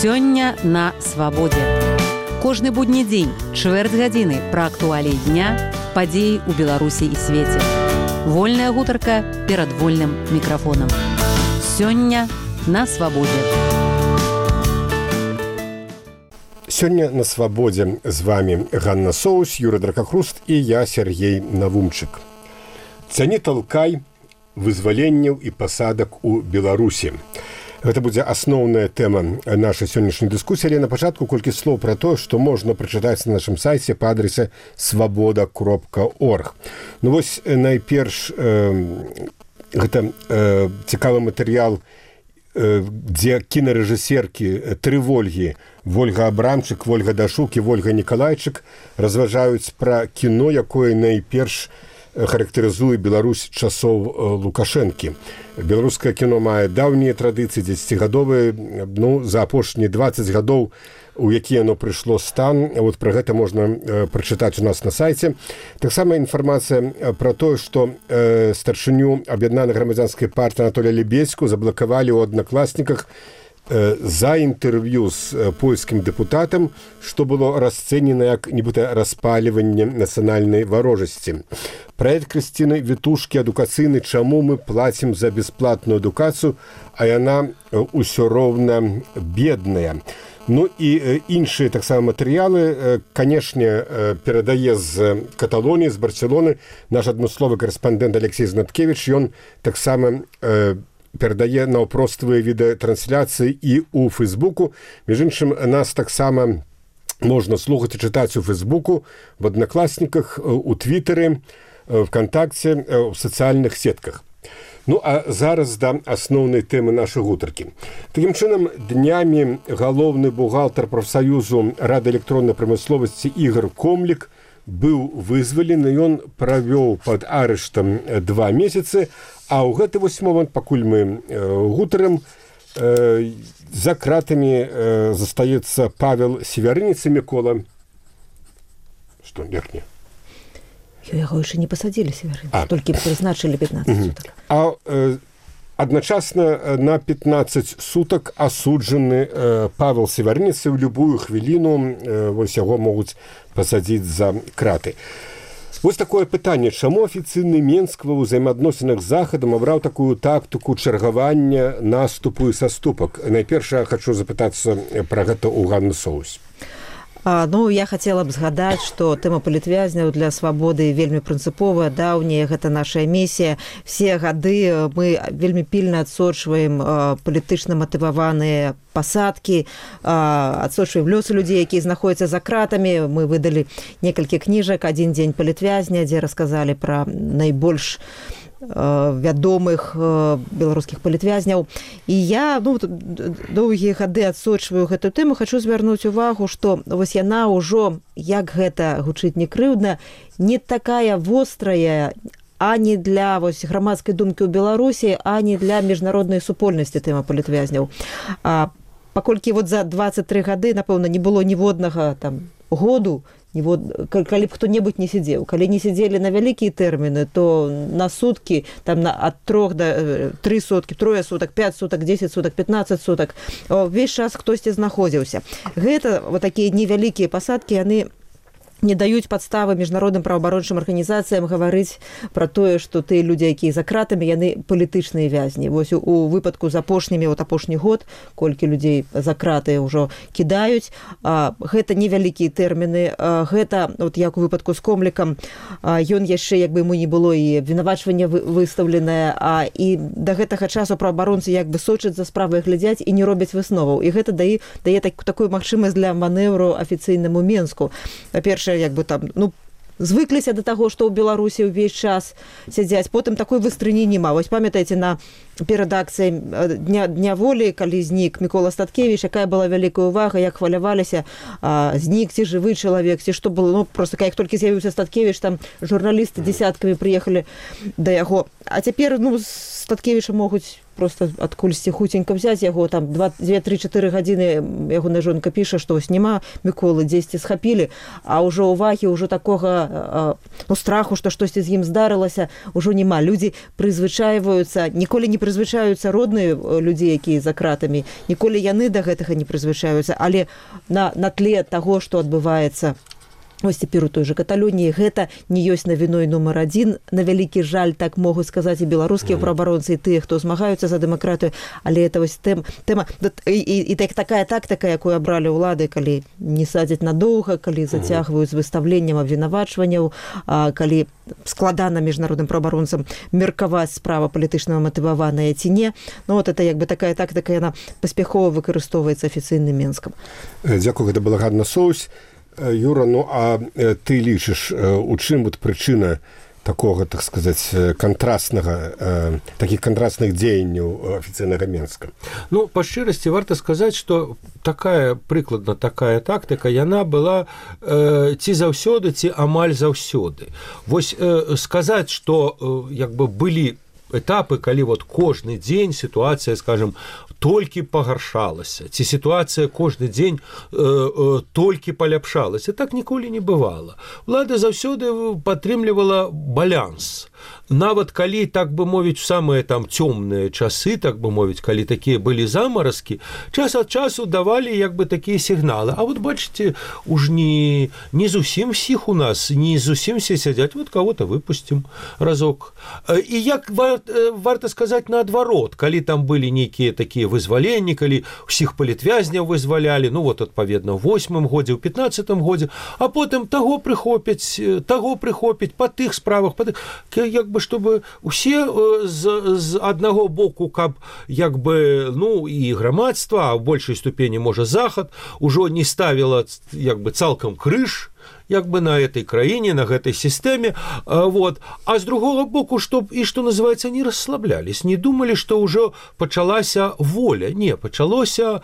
Сёння на свабодзе. Кожны будні дзень, чвэрць гадзіны пра актуаліі дня, падзеі ў Беларусі і свеце. Вольная гутарка перад вольным мікрафонам. Сёння на свабодзе. Сёння на свабодзе з вами Ганна Соус, Юрий Дракахруст і я, Сергей Навумчык. Цяні талкай вызваленняў і пасадак у Беларусі. Гэта будзе асноўная тэма нашай сённяшняй дыскусіі, але на пачатку колькі слоў пра тое, што можна прачытаць на нашым сайце па адрасе свабода.орг. Ну вось найперш гэта цікавы матэрыял, дзе кінарэжысеркі тры Вольгі, Вольга Абрамчык, Вольга Дашук і Вольга Нікалайчык разважаюць пра кіно, якое найперш характарызуе Беларусь часоў Лукашэнкі. Беларускае кіно мае даўнія традыцыі, 10гадовыя, за апошнія 20 гадоў, у які яно прыйшло стан. Вот пра гэта можна прачытаць у нас на сайце. Таксама інфармацыя пра тое, што старшыню аб'яднанай грамадзянскай партыі Анатолія Лебедзьку заблакавалі ў Аднакласніках за інтэрв'ю з польскім дэпутатам, што было расцэнена як нібыта распаліванне нацыянальнай варожасці. Праект Крысціны Вітушкі адукацыйны «Чаму мы плацім за бясплатную адукацыю, а яна ўсё роўна бедная». Ну і іншыя таксама матэрыялы, канешне, перадае з Каталоніі, з Барселоны наш адмысловы карэспандэнт Алексей Знаткевіч. Ён таксама перадае наўпроставыя відэатрансляцыі і ў Фэйсбуку. Між іншым, нас таксама можна слухаць і чытаць у Фэйсбуку, в Аднакласніках, у Твітары, ВКонтакце, у сацыяльных сетках. Ну, а зараз да асноўнай тэмы нашай гутаркі. Такім чынам, днямі галоўны бухгалтар прафсаюзу Рады электроннай прамысловасці Ігор Комлік быў вызвалены, ён правёў пад арыштам 2 месяцы, а ў гэты вось момант, пакуль мы гутарым, за кратамі застаецца Павел Севярынец і Мікола. Што, верхне? Яго яшчэ не пасадзілі, Севярынец, толькі прызначылі 15 сутак. А адначасна на 15 сутак асуджаны Павел Севярынец, і ў любую хвіліну вось яго могуць пасадзіць за краты. Вось такое пытанне, чаму афіцыйны Менск ва ўзаемаадносінах з Захадам абраў такую тактыку чаргавання наступу і саступак? Найперш я хачу запытацца пра гэта ў Ганны Соус. Я хацела б згадаць, што тэма палітвязняў для свабоды вельмі прынцыповая, даўняя, гэта наша місія. Все гады мы вельмі пільна адсочваем палітычна матываваныя пасадкі, адсочваем лёсы людзей, якія знаходзяцца за кратамі. Мы выдалі некалькі кніжак, «Адзін дзень палітвязня», дзе расказалі пра найбольш вядомых беларускіх палітвязняў. І я доўгія гады адсочваю гэту тэму. Хачу звярнуць увагу, што вось яна ўжо, як гэта гучыць не крыўдна, не такая вострая ані для грамадскай думкі ў Беларусі, ані для міжнароднай супольнасці тэма палітвязняў. Паколькі за 23 гады, напэўна, не было ніводнага году, калі б хто-небудзь не сидзеў. Калі не сидзелі на вялікія тэрміны, то на суткі, ад 3 до 3 суткі, 3 сутак, 5 сутак, 10 сутак, 15 сутак, увесь час хтосьці знаходзіўся. Гэта такія невялікія пасадкі, яны не даюць падставы міжнародным праваабарончым арганізацыям гаварыць пра тое, што тыя людзі, якія за кратамі, яны палітычныя вязні. Вось у выпадку з апошні год, колькі людзей за краты ўжо кідаюць, гэта невялікія тэрміны. Гэта, як у выпадку з Комлікам, ён яшчэ, як бы яму не было і абвінавачванне выстаўленае, і да гэтага часу праваабаронцы сочаць за справай, глядзяць і не робяць высноваў. І гэта дае такую магчымасць для манэвру афіцыйнаму Менску. Па-першае, звыкліся да таго, што ў Беларусі ўвесь час сядзяць, потым такой выстрыні няма. Вось памятаеце, перад акцыяй Дня волі, калі знік Мікола Статкевіч, якая была вялікая ўвага, як хваляваліся, знік ці жывы чалавек, ці што было. Просто як толькі з'явіўся Статкевіч, там журналісты дзесяткамі прыехалі да яго. А цяпер Статкевіча могуць просто адкульсьці хуценька взяць яго, там 2-3-4 гадзіны ягоная жонка піша, што вось няма Міколы, дзесьці схапілі, а ўжо ўвагі, ўжо такога страху, што штосьці з ім здарылася, ўжо няма. Людзі прызвычайваюцца, ніколі не прызвычаюцца родныя людзі, якія за кратамі, ніколі яны да гэтага не прызвычаюцца, але на тле таго, што адбываецца ось цяпер у той жа Каталоніі, гэта не ёсць навіной нумар адзін. На вялікі жаль, так могуць сказаць і беларускія праабаронцы, і тыя, хто змагаюцца за дэмакратыю, але это вось тэма і такая тактыка, якую абралі ўлады, калі не садзяць надоўга, калі зацягваюць з выстаўленнем абвінавачванняў, калі складана міжнародным праабаронцам меркаваць, справа палітычна матываваная ці не. Ну вот это як бы такая тактыка, яна паспяхова выкарыстоўваецца афіцыйным Менскам. Дзякую, гэта балагарна соус. Юра, ну а ты лічыш, у чым вот прычына такога, так сказаць, кантрастнага, такіх кантрастных дзеянняў афіцыйнага Менска? Ну, па шчырасці варта сказаць, што прыкладна такая тактыка, яна была ці заўсёды, ці амаль заўсёды. Вось сказаць, што як бы былі этапы, калі вот кожны дзень сітуацыя, скажем, толькі пагаршалася, ці сітуацыя кожны дзень толькі паляпшалася. Так ніколі не бывала. Улада заўсёды падтрымлівала баланс. Нават калі, так бы мовіць, самыя там цёмныя часы, так бы мовіць, калі такія былі замаразкі, час ад часу давалі як бы такія сігналы. А вот бачыце, уж не зусім всіх у нас, не зусім все сядзяць, вот кого-то выпустим разок. І як варта сказаць наадварот, калі там былі нейкія такія вызваленні, калі ўсіх палітвязняў вызвалялі, ну вот адпаведна ў 8-м годзе, ў 15-м годзе, а потым таго прыхопяць, па тых справах, як бы чтобы усе з аднаго боку, каб як бы, ну і грамадства, а ў большай ступені можа захад, ужо не ставіла як бы цалкам крыж як бы на этой краіне, на гэтай сістэме, вот. А з другого боку, што называецца, не расслаблялись, не думалі, што ўжо пачалася воля. Не, пачалася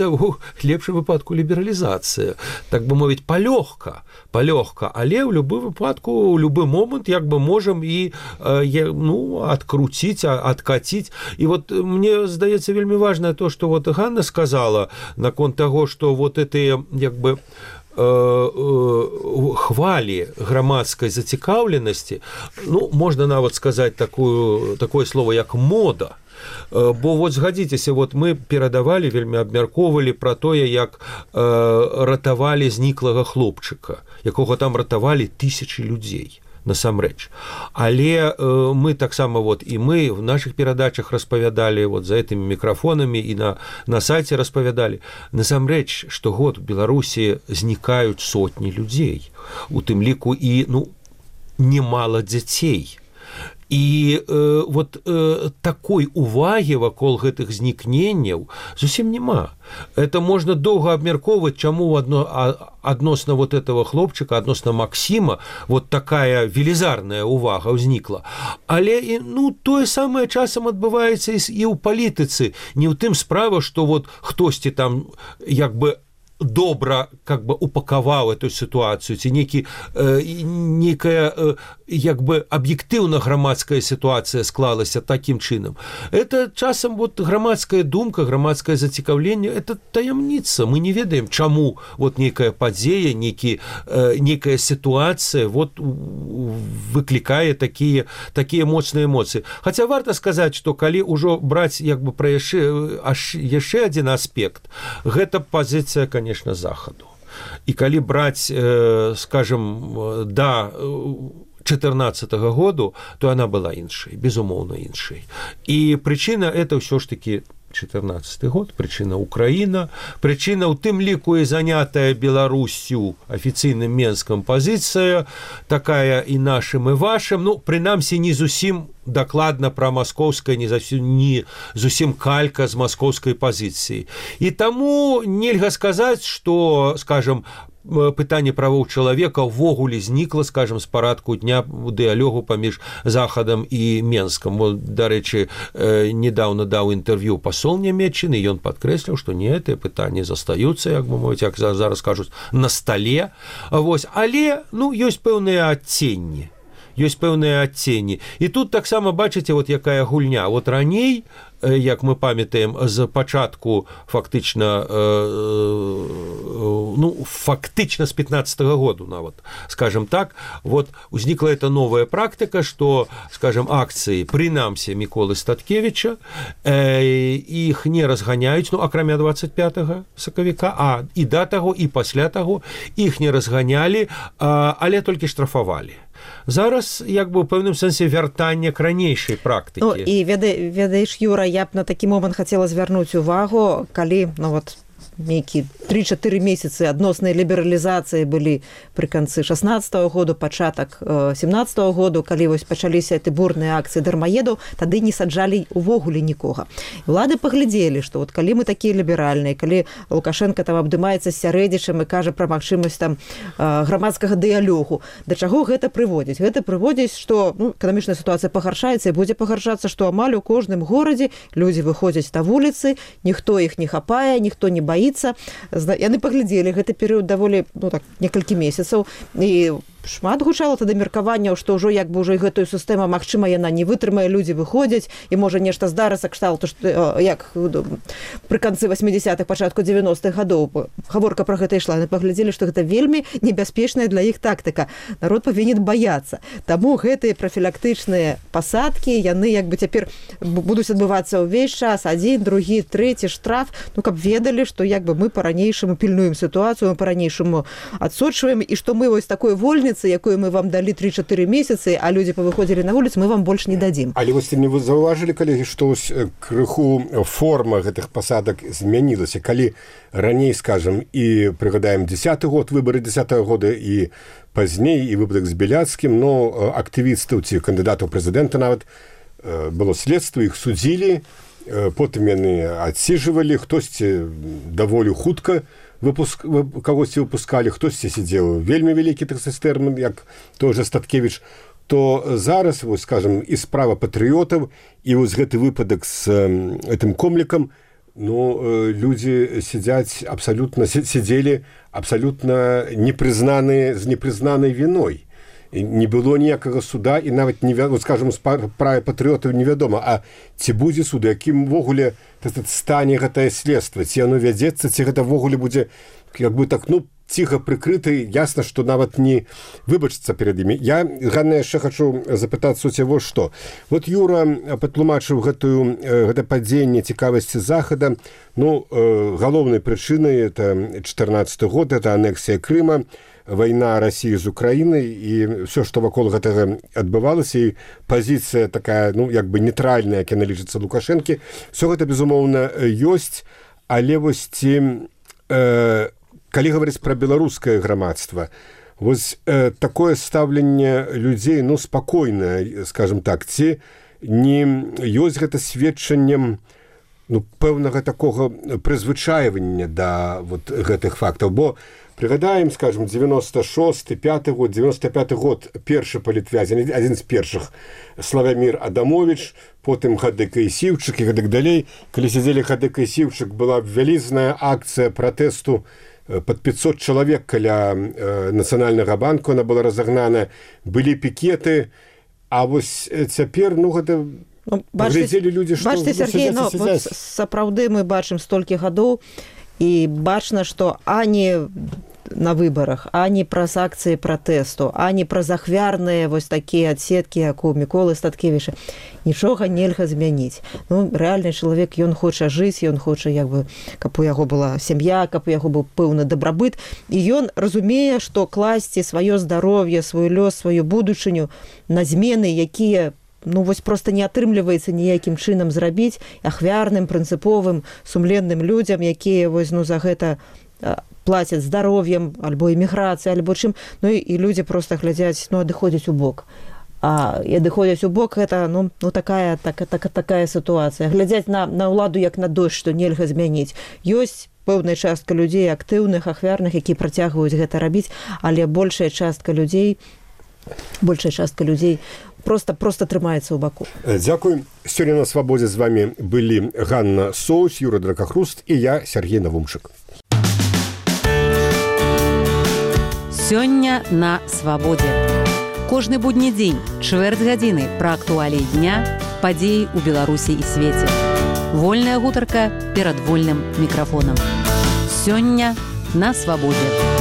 у лепшым выпадку лібералізацыя, так бы мовіць, палёгка, але ў любым выпадку, ў любы момант як бы можам і адкруціць, адкаціць. І вот мне здаецца вельмі важна то, што вот Ганна сказала наконт таго, што вот этыя як бы хвалі грамадскай зацікаўленасці, ну, можна нават сказаць такое слово, як мода. Бо вот згадзіцеся, вот мы перадавалі, вельмі абмяркоўвалі пра тое, як ратавалі зніклага хлопчыка, якога там ратавалі тысячы людзей. Насамрэч. Але мы таксама вот і мы в наших перадачах распавядалі вот за этими мікрафонамі і на сайце распавядалі. Насамрэч, штогод у Беларусі знікаюць сотні людзей. У тым ліку і, немало дзяцей. І вот такой увагі вакол гэтых знікненняў зусім няма. Это можна доўга абмяркоўваць, чаму адносна вот этого хлопчыка, адносна Максіма, вот такая велізарная увага ўзнікла. Але тое самае часам адбываецца і ў палітыцы. Не ў тым справа, што вот хтосьці там як бы добра как бы упакаваў эту сітуацыю, ці некая як бы аб'ектыўна грамадская сітуацыя склалася такім чынам. Это часам вот грамадская думка, грамадскае зацікаўленне, это таямніца. Мы не ведаем, чаму вот нейкая падзея, нейкая сітуацыя вот выклікае такія моцныя эмоцыі. Хаця варта сказаць, што калі ўжо браць як бы пра яшчэ адзін аспект, гэта пазіцыя, конечно, захаду. І калі браць, скажем, да 2014 году, то она была іншай, безумоўна іншай. І прычына это ўсё ж таки 2014 год, прычына Украіна, прычына ў тым ліку і занятая Беларусю афіцыйным Менскам пазіцыя, такая і нашым, і вашым, прынамсі не зусім дакладна пра маскоўскае, не зусім калька з маскоўскай пазіцыі. І таму нельга сказаць, што, скажем, пытанне правоў чалавека ўвогуле знікла, скажем, з парадку дня у дыялогу паміж Захадам і Менскам. Дарэчы, недаўна даў інтэрв'ю пасол Нямецчыны, ён падкрэсліў, што не, гэтыя пытанні застаюцца, як бы мовіць, як зараз кажуць, на стале. Але, ёсць пэўныя адценні. ёсць пэўныя адценні. І тут таксама бачыце, вот якая гульня. Вот раней, як мы памятаем, з пачатку фактычна з 15-го году нават, скажем так, вот узнікла эта новая практыка, што, скажем, акцыі, прынамсі Міколы Статкевіча, іх не разганяюць, акрамя 25 сакавіка, і да таго, і пасля таго іх не разганялі, але толькі штрафавалі. Зараз, як бы, у пэўным сэнсе вяртання к ранейшай практыкі. Ну, і ведаеш, Юра, я б на такі момант хацела звярнуць увагу, калі, нейкі 3-4 месяцы адноснай лібералізацыі былі пры канцы 16-го году, пачатак 17-го году, калі вось пачаліся эти бурныя акцыі дармаедаў, тады не саджалі увогуле нікога. Улады паглядзелі, што вот калі мы такія ліберальныя, калі Лукашенко там абдымаецца з сярэдзічам і кажа пра магчымасць там грамадскага дыялогу, да чаго гэта прыводзіць? Гэта прыводзіць, што эканамічная сітуацыя пагаршаецца і будзе пагаршацца, што амаль у кожным горадзе людзі выходзяць на вуліцы, ніхто іх не хапае, ніхто не баіцца. Яны паглядзелі гэты перыяд даволі некалькі месяцаў, і шмат гучала тады меркаванняў, што ўжо як бы ўжо і гэтую сістэму, магчыма, яна не вытрымае, людзі выходзяць, і можа нешта здарыцца кшталту, як пры канцы 80-х, пачатку 90-х гадоў гаворка пра гэта ішла. Яны паглядзелі, што гэта вельмі небяспечная для іх тактыка. Народ павінен баяцца. Таму гэтыя прафілактычныя пасадкі, яны як бы цяпер будуць адбывацца ўвесь час, 1, 2, 3 штраф, каб ведалі, што як бы мы па-ранейшаму пільнуем сітуацыю, мы па-ранейшаму адсочваем, і што мы вось такой вольніцы, якую мы вам далі 3-4 месяцы, а людзі павыходзілі на вуліцу, мы вам больш не дадзім. Але вось не вы заўважылі, калегі, што крыху форма гэтых пасадак змянілася. Калі раней, скажем, і прыгадаем 10-й год, выбары 10-го года і пазней, і выпадак з Беляцкім, актывістаў ці кандыдатаў прэзідэнта нават было следства, іх судзілі, потым яны адсіжвалі, хтосьці даволі хутка кагосьці выпускалі, хтосьці сидзеў вельмі вялікі тэрмін, як той же Статкевіч, то зараз, вось, скажем, і справа патрыётаў, і вось гэты выпадак з гэтым комлікам, людзі сидзелі абсалютна з непрызнанай віной. Не было ніякага суда, і нават, скажем, справа патрыётаў невядома, а ці будзе суд, якім ввогуле стане гэтае следства, ці яно вядзецца, ці гэта ввогуле будзе як бы так, ціха прыкрыты, ясна, што нават не выбачыцца перад імі. Я, Ганна, яшчэ хачу запытацца у цябе, што. Вот Юра патлумачыў гэта падзенне цікавасці Захада. Галоўнай прычынай это 14 год, это анексія Крыма, вайна России з Украінай, і все, што вакол гэтага адбывалася, і пазіцыя такая, як бы нейтральная, як яна лічыцца Лукашэнкі, все гэта, безумоўна, ёсць, але вось калі гаварыць пра беларускае грамадства, вось такое стаўленне людзей, спакойнае, скажем так, ці не ёсць гэта сведчаннем пэўнага такога прызвычайвання да вот гэтых фактаў, бо пригадаем, скажем, 96-5 год, 95 год, першы палітвязень, адзін з першых, Славямір Адамович, потым Хадыка і Сіўчык і гэтак далей. Калі сядзелі Хадыка і Сіўчык, была вялізная акцыя пратэсту пад 500 чалавек каля Нацыянальнага банку, она была разагнана, былі пікеты, а вось цяпер, гэта паглядзелі людзі, што... Бачце, Сергей, сапраўды мы бачым столькі гадоў, і бачна, што ані на выбарах, ані праз акцыі пратэсту, ані праз ахвярныя вось такія адсеткі, як у Міколы Статкевіча, нічога нельга змяніць. Рэальны чалавек, ён хоча жыць, ён хоча, каб у яго была сям'я, каб у яго быў пэўны дабрабыт, і ён разумее, што класці сваё здароўе, свой лёс, сваю будучыню на змены, якія вось просто не атрымліваецца ніякім чынам зрабіць ахвярным, прынцыповым, сумленным людзям, якія вось за гэта плацяць здароўем, альбо эміграцыяй, альбо чым, і людзі просто глядзяць, адыходзяць у бок. А адыходзяць у бок, гэта такая сітуацыя. Глядзяць на ўладу як на дождь, што нельга змяніць. Ёсць пэўная частка людзей актыўных, ахвярных, якія працягваюць гэта рабіць, але большая частка людзей просто трымаецца ў баку. Дзякуй. Сёння на Свабодзе з вами былі Ганна Соус, Юра Дракахруст і я, Сергей Навумчык. Сёння на Свабодзе. Кожны будні дзень, чвэрць гадзіны пра актуаліі дня, падзеі ў Беларусі і свеце. Вольная гутарка перад вольным мікрафонам. Сёння на свабодзе.